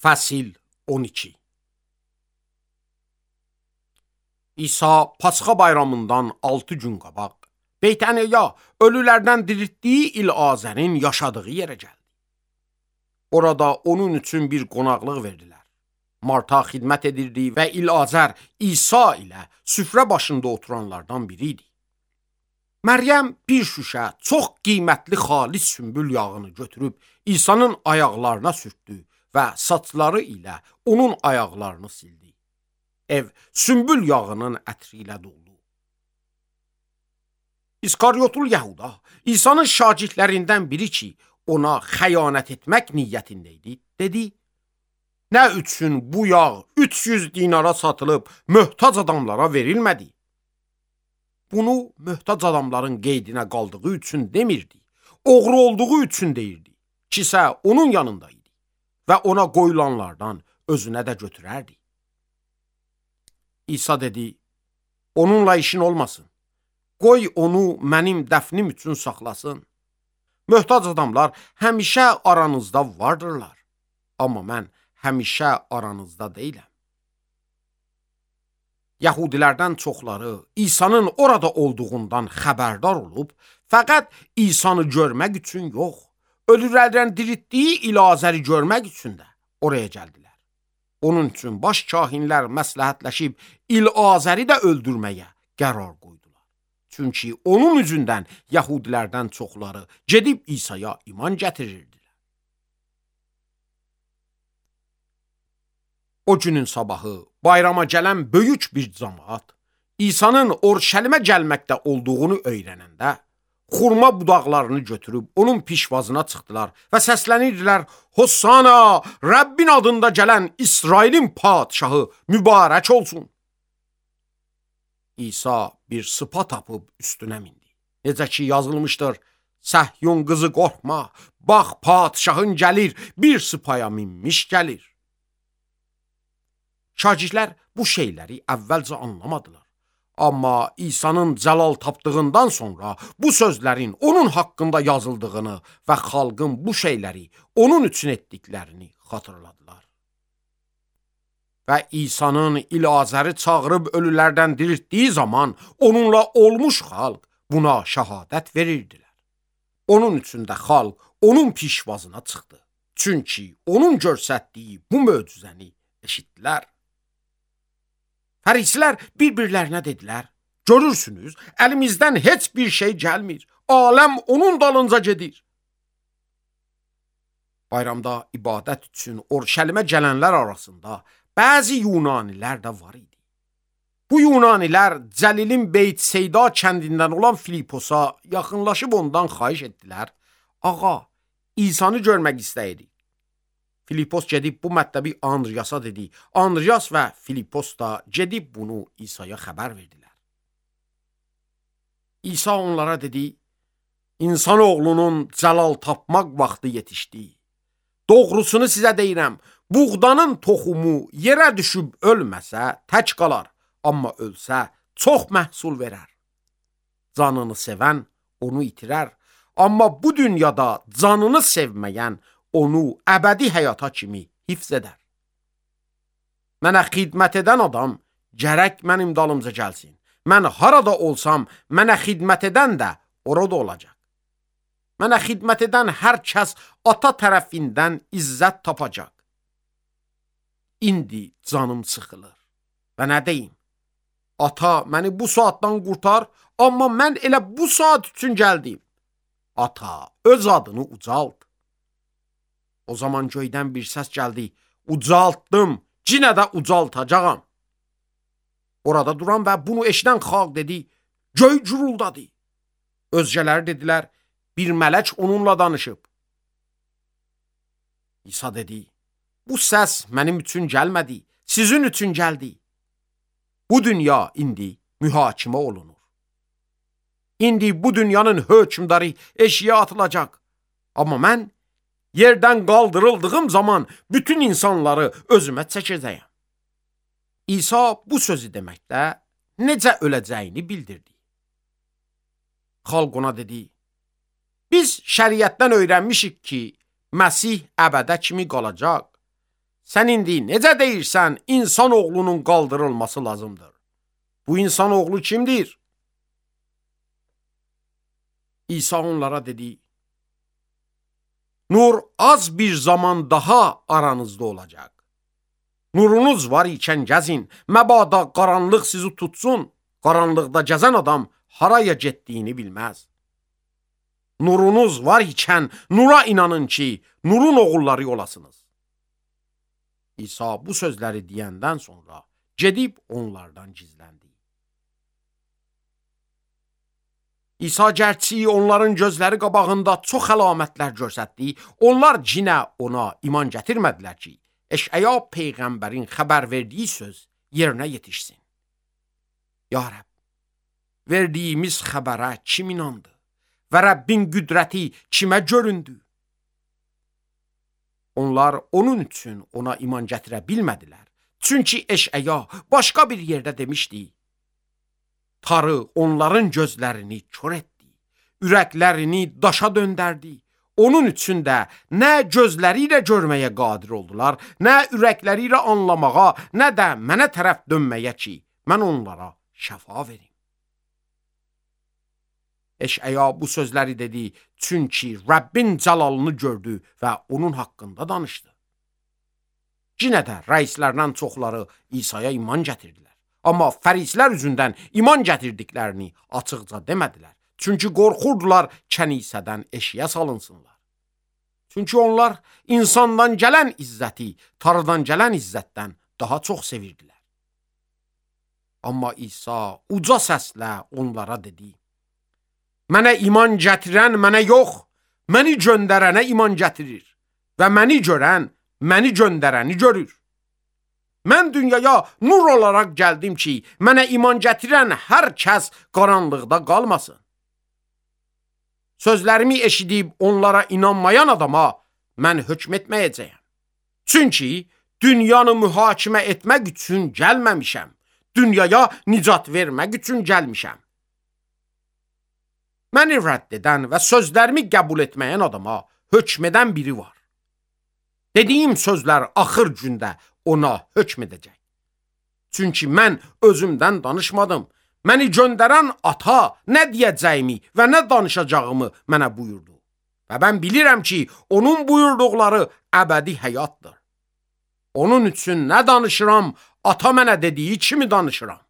Fəsil 12. İsa Pasxa bayramından 6 gün qabaq Beytəniya ölülərdən diriltdiyi İlazərin yaşadığı yerə gəldi. Orada onun üçün bir qonaqlıq verdilər. Marta xidmət edirdi və İlazər İsa ilə süfrə başında oturanlardan biri idi. Məryəm bir şüşə çox qiymətli xalis sümbül yağını götürüb İsa'nın ayaqlarına sürtdü və saçları ilə onun ayaqlarını sildi. Ev sümbül yağının ətri ilə doldu. İskaryotul Yəhuda, İsa'nın şagirdlərindən biri ki, ona xəyanət etmək niyyətində idi, dedi: "Nə üçün bu yağ 300 dinara satılıb möhtac adamlara verilmədi?" Bunu möhtac adamların qeydinə qaldığı üçün demirdi, oğru olduğu üçün deyirdi. Kisə onun yanında idi və ona qoyulanlardan özünə də götürərdi. İsa dedi: "Onunla işin olmasın. Qoy onu mənim dəfnim üçün saxlasın. Möhtac adamlar həmişə aranızda vardırlar, amma mən həmişə aranızda deyiləm." Yahudilərdən çoxları İsa'nın orada olduğundan xəbərdar olub, fəqət İsa'nı görmək üçün yox, ölülərdən diriltdiyi İlazəri görmək üçün də oraya gəldilər. Onun üçün baş kahinlər məsləhətləşib İlazəri də öldürməyə qərar qoydular. Çünki onun üzündən Yahudilərdən çoxları gedib İsa'ya iman gətirirdilər. O günün sabahı bayrama gələn böyük bir cəmaət İsa'nın Orşəlimə gəlməkdə olduğunu öyrənəndə xurma budaqlarını götürüb onun pişvazına çıxdılar və səslənirdilər: "Hossana, Rəbbin adında gələn İsrailin padşahı mübarək olsun." İsa bir sıpa tapıb üstünə mindi. Necə ki yazılmışdır: "Səhyun qızı qorxma, bax padşahın gəlir, bir sıpaya minmiş gəlir." Şagirdlər bu şeyləri əvvəlcə anlamadılar. Amma İsa'nın cəlal tapdığından sonra bu sözlərin onun haqqında yazıldığını və xalqın bu şeyləri onun üçün etdiklərini xatırladılar. Və İsa'nın İlazəri çağırıb ölülərdən diriltdiyi zaman onunla olmuş xalq buna şəhadət verirdilər. Onun üçün də xalq onun pişvazına çıxdı. Çünki onun göstərdiyi bu möcüzəni eşitdilər. Fərisilər bir-birlərinə dedilər: "Görürsünüz, əlimizdən heç bir şey gəlmir. Aləm onun dalınca gedir." Bayramda ibadət üçün Orşəlimə gələnlər arasında bəzi Yunanilər də var idi. Bu Yunanilər Cəlilin Beyt-Seyda kəndindən olan Filiposa yaxınlaşıb ondan xahiş etdilər: "Ağa, İsa'nı görmək istəyirik." Filipos gedib bu mətləbi Andriyasa dedi. Andriyas və Filipos da gedib bunu İsa'ya xəbər verdilər. İsa onlara dedi: "İnsanoğlunun cəlal tapmaq vaxtı yetişdi. Doğrusunu sizə deyirəm, buğdanın toxumu yerə düşüb ölməsə tək qalar, amma ölsə çox məhsul verər. Canını sevən onu itirər, amma bu dünyada canını sevməyən onu əbədi həyata kimi hifz edər. Mənə xidmət edən adam gərək mənim dalımca gəlsin. Mən harada olsam, mənə xidmət edən də orada olacaq. Mənə xidmət edən hər kəs ata tərəfindən izzət tapacaq. İndi canım sıxılır. Və nə deyim? Ata, məni bu saatdan qurtar, amma mən elə bu saat üçün gəldim. Ata, öz adını ucalt." O zaman göydən bir səs gəldi: "Ucaltdım, yenə də ucaltacağam." Orada duran və bunu eşidən xalq dedi: "Göy guruldadı." Özgələri dedilər: "Bir mələk onunla danışıb." İsa dedi: "Bu səs mənim üçün gəlmədi, sizin üçün gəldi. Bu dünya indi mühakimə olunur. İndi bu dünyanın hökmdarı eşiyə atılacaq. Amma mən yerdən qaldırıldığım zaman bütün insanları özümə çəkəcəyəm." İsa bu sözü deməkdə necə öləcəyini bildirdi. Xalq ona dedi: "Biz şəriətdən öyrənmişik ki, Məsih əbədə kimi qalacaq. sən indi necə deyirsən, insan oğlunun qaldırılması lazımdır. Bu insan oğlu kimdir? İsa onlara dedi, nur az bir zaman daha aranızda olacaq. Nurunuz var ikən gəzin, məbada qaranlıq sizi tutsun, qaranlıqda gəzən adam haraya getdiyini bilməz. Nurunuz var ikən nura inanın ki, nurun oğulları olasınız. İsa bu sözləri deyəndən sonra gedib onlardan gizləndi. İsa gərçi onların gözləri qabağında çox əlamətlər göstərdi, onlar cinə ona iman gətirmədilər ki, Eşaya Peyğəmbərin xəbər verdiyi söz yerinə yetişsin. Ya Rəbb, verdiyimiz xəbərə kim inandı və Rəbbin qüdrəti kimə göründü? Onlar onun üçün ona iman gətirə bilmədilər. Çünki Eşaya başqa bir yerdə demişdi, Tarı onların gözlərini kör etdi, ürəklərini daşa döndərdi. Onun üçün də nə gözləri ilə görməyə qadir oldular, nə ürəkləri ilə anlamağa, nə də mənə tərəf dönməyə ki, mən onlara şəfa verim. Eşaya bu sözləri dedi, çünki Rəbbin cəlalını gördü və onun haqqında danışdı. Yenə də rəislərdən çoxları İsa'ya iman gətirdilər. Amma fərislər üzündən iman gətirdiklərini açıqca demədilər. Çünki qorxurdular kənisədən eşiyə salınsınlar. Çünki onlar insandan gələn izzəti, Tanrıdan gələn izzətdən daha çox sevirdilər. Amma İsa uca səslə onlara dedi, mənə iman gətirən mənə yox, məni göndərənə iman gətirir və məni görən məni göndərəni görür. Mən dünyaya nur olaraq gəldim ki, mənə iman gətirən hər kəs qaranlıqda qalmasın. Sözlərimi eşidib onlara inanmayan adama mən hökm etməyəcəyəm. Çünki dünyanı mühakimə etmək üçün gəlməmişəm. Dünyaya nicat vermək üçün gəlmişəm. Məni rədd edən və sözlərimi qəbul etməyən adama hökm edən biri var. Dediyim sözlər axır gündə ona hökm edəcək. Çünki mən özümdən danışmadım. Məni göndərən ata nə deyəcəyimi və nə danışacağımı mənə buyurdu. Və mən bilirəm ki, onun buyurduqları əbədi həyatdır. Onun üçün nə danışıram, ata mənə dediyi kimi danışıram.